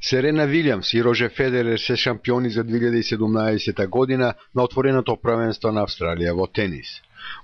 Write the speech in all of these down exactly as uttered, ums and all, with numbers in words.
Серена Вилјамс и Рожер Федерер се шампиони за две илјади и седумнаесета година на отвореното првенство на Австралија во тенис.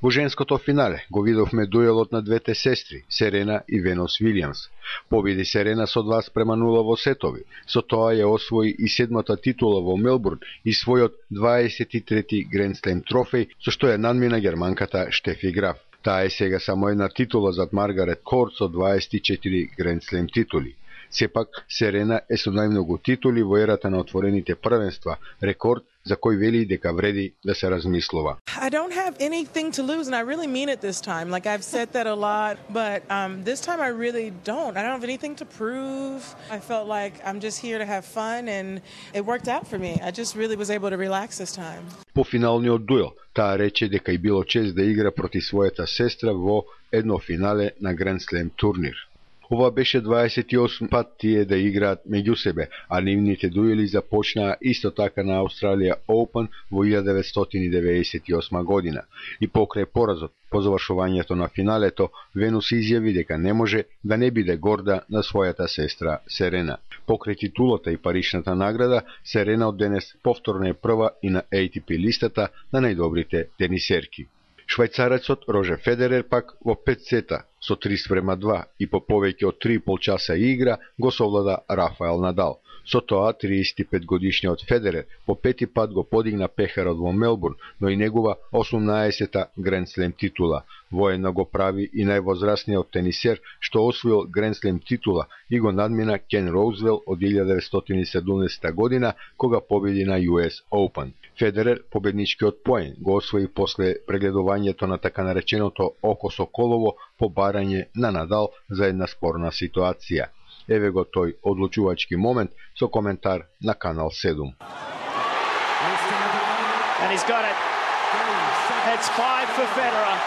Во женското финале го видовме дуелот на двете сестри, Серена и Венус Вилјамс. Победи Серена со два спрема нула во сетови, со тоа ја освои и седмата титула во Мелбурн и својот дваесет и трети Гранд Слем трофеј, со што ја надмина германката Штефи Граф. Таа е сега само една титула зад Маргарет Корт со дваесет и четири Гранд Слем титули. Сепак, Серена е со најмногу титули во ерата на отворените првенства, рекорд за кој вели дека вреди да се размислува. I don't have anything to lose, and I really mean it this time. Like, I've said that a lot, but um, this time I really don't. I don't have anything to prove. I felt like I'm just here to have fun, and it worked out for me. I just really was able to relax this time. По финалниот дуел, таа рече дека и било чест да игра проти својата сестра во едно финале на Гранд Слем турнир. Ова беше дваесет и осми пат тие да играат меѓу себе, а нивните дуели започнаа исто така на Australia Open во илјада деветстотини деветдесет и осма година. И покрај поразот, по завршувањето на финалето, Венус изјави дека не може да не биде горда на својата сестра Серена. Покрај титулата и паричната награда, Серена од денес повторно е прва и на A T P листата на најдобрите тенисерки. Швајцарецот Рожер Федерер пак во пет сета со три спрема два и по повеќе од три и пол часа игра го совлада Рафаел Надал. Со тоа триесет и пет годишниот Федерер по пети пат го подигна пехарот во Мелбурн, но и негова осумнаесета Гранд Слем титула. Воедно го прави и највозрасниот тенисер што освоил Гранд Слем титула и го надмина Кен Роузвел од илјада деветстотини и седумдесета година кога победи на U S Open. Федерер победничкиот поен го освои после прегледувањето на така нареченото око соколово по барање на Надал за една спорна ситуација. Еве го тој одлучувачки момент со коментар на Канал седум. And he's got it. It's five for Federer.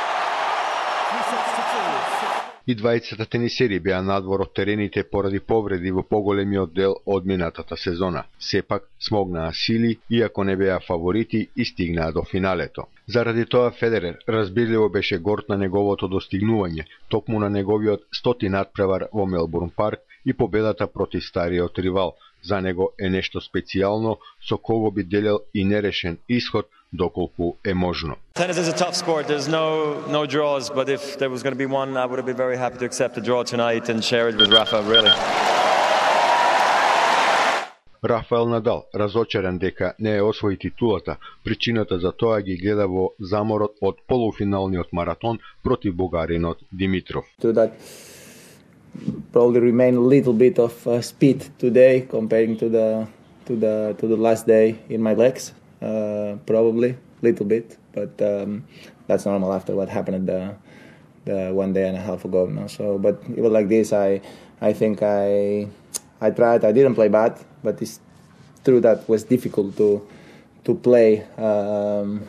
И двајцата тенисери беа надвор од терените поради повреди во поголемиот дел од минатата сезона. Сепак смогнаа сили, иако не беа фаворити и стигнаа до финалето. Заради тоа Федерер разбирливо беше горд на неговото достигнување, токму на неговиот стоти надпревар во Мелбурн парк и победата против стариот ривал. За него е нешто специјално со кого би делел и нерешен исход доколку е можно. Tennis is a tough sport. There's no no draws, but if there was going to be one, I would have been very happy to accept a draw tonight and share it with Rafa, really. Рафаел Надал, разочаран дека не е освои титулата, причината за тоа ги гледа во заморот од полуфиналниот маратон против бугаринот Димитров. To that probably remain a little bit of uh, speed today comparing to the to the to the last day in my legs. Uh, probably little bit, but um, that's normal after what happened the the one day and a half ago. No? So, but even like this, I I think I I tried. I didn't play bad, but it's true that it was difficult to to play um,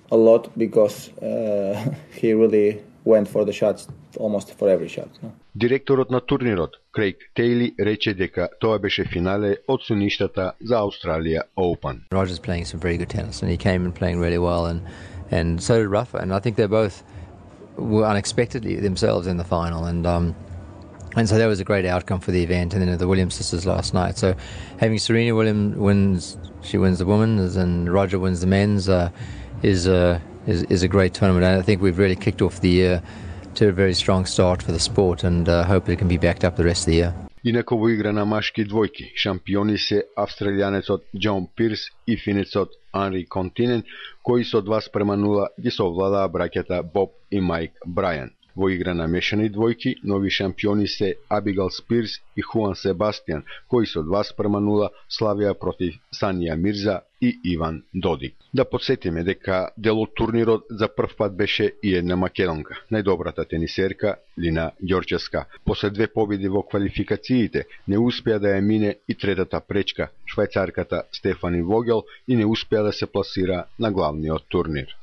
a lot because uh, he really went for the shots almost for every shot. No? Директорот на турнирот, Крейг Тејли, рече дека тоа беше финале од суништата за Australia Open. Roger's playing some very good tennis and he came in playing really well and and so did Rafa, and I think they both were unexpectedly themselves in the final, and um and so that was a great outcome for the event. And then the Williams sisters last night, so having Serena Williams wins, she wins the women's and Roger wins the men's uh, is a is, is a great tournament, and I think we've really kicked off the year to a very strong start for the sport, and uh, hope it can be backed up the rest of the year. Инако во игра на машки двојки, шампиони се австралијанецот Џон Пирс и финецот Анри Континен, кои со два спрема нула ги совладаа браќата Боб и Майк Брајан. Во игра на мешани двојки, нови шампиони се Абигал Спирс и Хуан Себастијан, кои со два спрема нула славија против Санија Мирза и Иван Додик. Да подсетиме дека дел од турнирот за прв пат беше и една македонка, најдобрата тенисерка Лина Ѓорчевска. После две победи во квалификациите не успеа да ја мине и третата пречка, швајцарката Стефани Вогел, и не успеа да се пласира на главниот турнир.